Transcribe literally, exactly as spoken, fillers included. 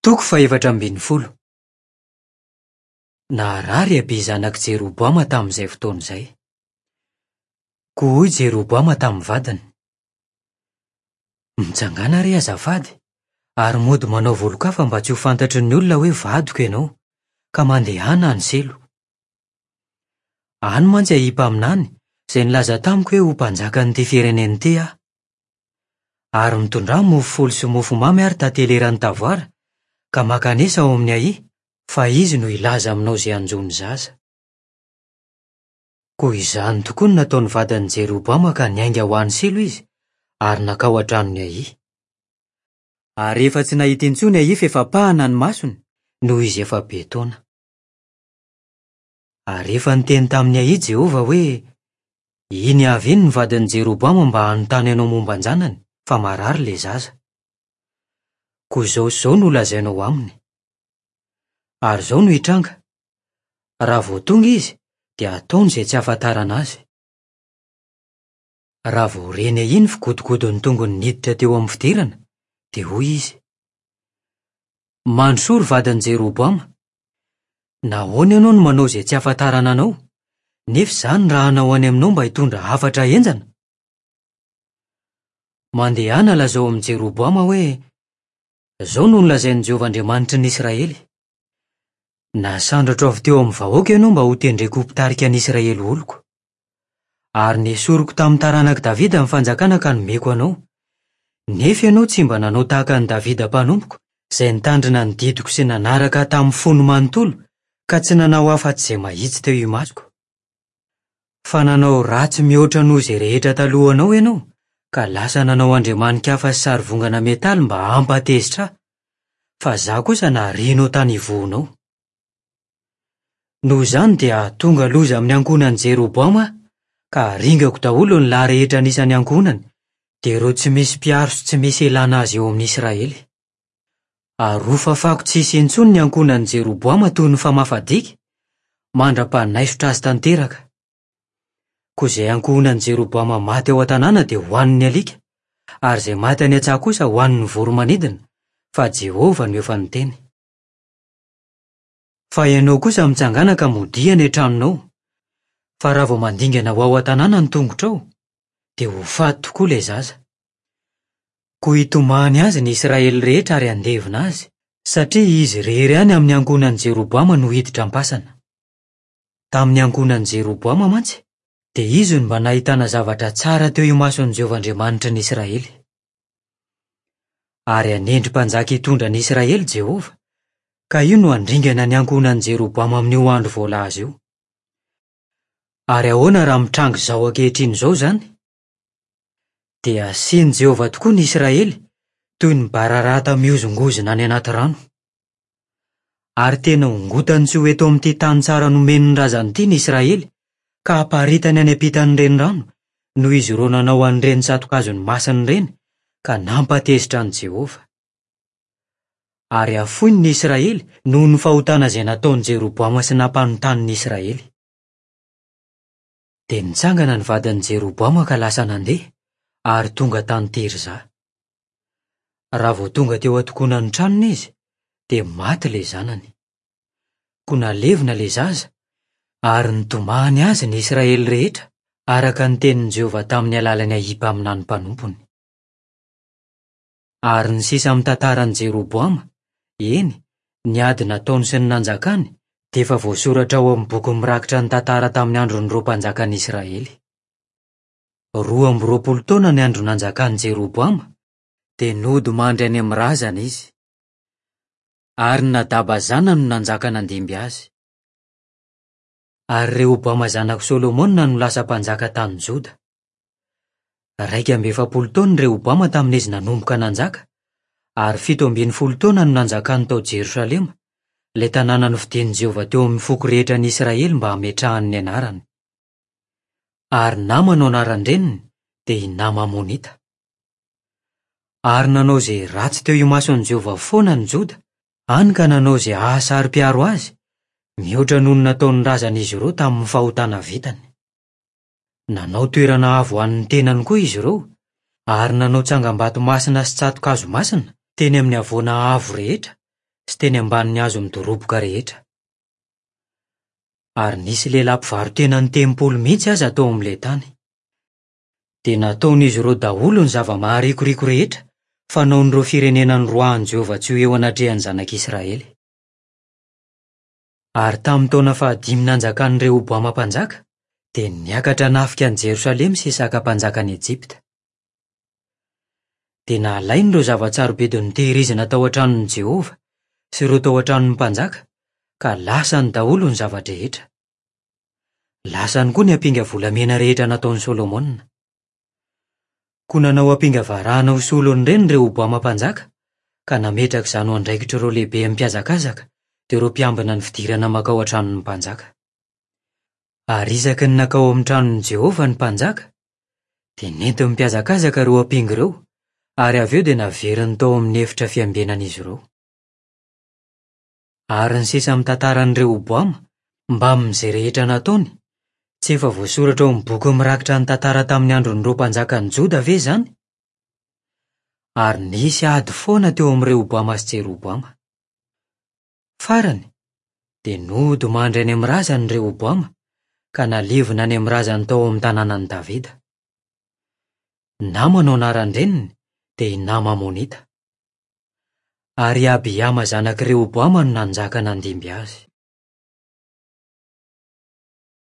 Toko fahefatra ambin'ny folo. Naharary i Abia zanak'i Jeroboama tamin'izay fotoana izay. Koa hoy Jeroboama tamin'ny vadiny: Mitsangàna re azafady, ary mody manao volon-kafa mba tsy ho fantatry ny olona hoe vadiko ianao, ka mandehana any Silo. Any mantsy Ahia mpaminany, izay nilaza tamiko hoe ho mpanjakan'ity firenena ity aho. Ary mitondrà mofo folo sy mofo mamy ary tantely eran'ny tavoara, ka mankanesa ao amin'i Ahia, fa izy no hilaza aminao izay hanjo ny zaza. Koa izany tokoa no nataon'ny vadin'i Jeroboama ka niainga ho any Silo izy, ary nankao an-tranon'i Ahia. Ary efa tsy nahita intsony Ahia fa efa pahana ny masony, noho izy efa be taona. Ary efa niteny tamin'i Ahia Jehovah hoe: Iny avy iny ny vadin'i Jeroboama mba hanontany anao momba an-janany, fa marary ilay zaza. Koa izao sy izao no holazainao aminy. Ary izao no hitranga: raha vao tonga izy, dia hataony izay tsy hahafantarana azy. Raha vao reny Ahia ny figodogodon'ny tongony niditra teo amin'ny fidirana, dia hoy izy: Mandrosoa ry vadin'i Jeroboama. Nahoana ianao no manao izay tsy hahafantarana anao, nefa izaho no rahanao any aminao mba hitondra hafatra henjana? Mandehana lazao amin'i Jeroboama hoe: Izao no nolazain'i Jehovah Andriamanitry ny Israely: Nasandratro avy teo amin'ny vahoaka ianao mba hotendreko ho mpitarika ny Israely oloko. Ary nesoriko tamin'ny taranak'i Davida ny fanjakana ka nomeko anao. Nefa ianao tsy mba nanao tahaka an'i Davida mpanompoko, izay nitandrina ny didiko sy nanaraka ahy tamin'ny fony manontolo, ka tsy nanao afa-tsy izay mahitsy teo imasoko. Fa nanao ratsy mihoatra noho izay rehetra talohanao ianao, ka lasa nanao andriamani-kafa sy sarivongana metaly mba hampatezitra ahy, fa izaho kosa narianao tany ivohonao. Noho izany dia hahatonga loza amin'ny ankohonan'i Jeroboama aho, ka haringako daholo ny lahy rehetra anisan'ny ankohonany, dia ireo tsy misy mpiaro sy tsy misy ilana azy eo amin'ny Israely. Ary hofafako tsy hisy intsony ny ankohonan'i Jeroboama toy ny famafa diky, mandra-panaisotra azy tanteraka. Koa izay ankohonan'i Jeroboama maty ao an-tanàna dia hohanin'ny alika, ary izay maty any an-tsaha kosa hohanin'ny voro-manidina, fa Jehovah no efa niteny. Fa ianao kosa mitsangàna ka modia any an-tranonao, fa raha vao mandingana ho ao an-tanàna ny tongotrao, dia ho faty tokoa ilay zaza. Koa hitomany azy ny Israely rehetra ary handevina azy, satria izy irery ihany amin'ny ankohonan'i Jeroboama no hiditra am-pasana. Tamin'ny ankohonan'i Jeroboama mantsy, dia izy no mba nahitana zavatra tsara teo imason'i Jehovah Andriamanitry ny Israely. Ary hanendry mpanjaka hitondra ny Israely Jehovah, ka io no handringana ny ankohonan'i Jeroboama amin'io andro voalaza io. Ary ahoana raha mitranga izao ankehitriny izao izany? Dia hasian'i Jehovah tokoa ny Israely, toy ny bararata mihozongozona any anaty rano. Ary tena hongotany tsy ho eto amin'ity tany tsara nomeny ny razany ity ny Israely, ka haparitany any ampitan'ny renirano, noho izy ireo nanao an'ireny tsato-kazony masina ireny, ka nampatezitra an'i Jehovah. Ary hafoiny ny Israely noho ny fahotana izay nataon'i Jeroboama sy nampanontany ny Israely. Dia nitsangana ny vadin'i Jeroboama ka lasa nandeha, ary tonga tany Tirza. Raha vao tonga teo an-tokonan'ny tranony izy, dia maty ilay zanany. Koa nalevina ilay zaza, ary nitomany azy ny Israely rehetra, araka ny tenin'i Jehovah tamin'ny alalan'i Ahia mpaminany mpanompony. Ary ny sisa amin'ny tantaran'i Jeroboama, eny, ny ady nataony sy ny nanjakany, dia efa voasoratra ao amin'ny boky mirakitra ny tantara tamin'ny andron'ireo mpanjakan'i Israely. Roa amby roapolo taona ny andro nanjakan'i Jeroboama, dia nody mandry any amin'ny razana izy. Ary Nadaba zanany no nanjaka nandimby azy. Ary Rehoboama zanak'i Solomona no lasa mpanjaka tany Joda. Iraika amby efapolo taona i Rehoboama tamin'izy nanomboka nanjaka, ary fito ambin'ny folo taona no nanjakany tao Jerosalema, ilay tanàna nofidin'i Jehovah teo amin'ny foko rehetra ny Israely mba hametrahany ny anarany. Ary Nama no anaran-dreniny, dia i Nama Amonita. Ary nanao izay ratsy teo imason'i Jehovah foana ny Joda, hany ka nanao izay hahasaro-piaro azy, mihoatra noho ny nataon'ny razan'izy ireo tamin'ny fahotana vitany. Nanao toerana avo ho an'ny tenany koa izy ireo, ary nanao tsangambato masina sy tsato-kazo masina teny amin'ny havoana avo rehetra, sy teny ambanin'ny hazo midoroboka rehetra. Ary nisy lehilahy mpivaro-tena ny mihitsy aza tao amin'ilay tany. Dia nataon'izy ireo daholo ny zava-maharikoriko rehetra fanaon'ireo firenena noroahan'i Jehovah tsy ho eo anatrehan'ny zanak'Israely. Ary tamin'ny taona fahadimy nanjakan'i Rehoboama mpanjaka, dia niakatra nafika an'i Jerosalema Sisaka mpanjakan'i Ejipta. Dia nalainy ireo zava-tsarobidy notehirizina tao an-tranon'i Jehovah sy ireo tao an-tranon'ny mpanjaka, ka lasany daholo ny zava-drehetra. Lasany koa ny ampinga volamena rehetra nataon'i Solomona. Koa nanao ampinga varahana ho solon'ireny Rehoboama mpanjaka, ka nametraka izany ho andraikitr'ireo lehibe mpihazakazaka dia ireo mpiambina ny fidirana mankao an-tranon'ny mpanjaka. Ary isaky ny nankao amin'ny tranon'i Jehovah ny mpanjaka, dia nentiny mpihazakazaka ireo ampinga ireo, ary avy eo dia naveriny tao amin'ny efitra fiambenan'izy ireo. Ary ny sisa amin'ny tantaran'i Rehoboama, mbamin'izay rehetra nataony, tsy efa voasoratra ao amin'ny boky mirakitra ny tantara tamin'ny andron'ireo mpanjakan'i Joda ve izany? Ary nisy ady foana teo amin'i Rehoboama sy Jeroboama. Farany, dia nody mandry any amin'ny razany Rehoboama, ka nalevina any amin'ny razany tao amin'ny tanànan'i Davida. Nama no anaran-dreniny, dia i Nama Amonita. Ary Abiama zanak'i Rehoboama no nanjaka nandimby azy.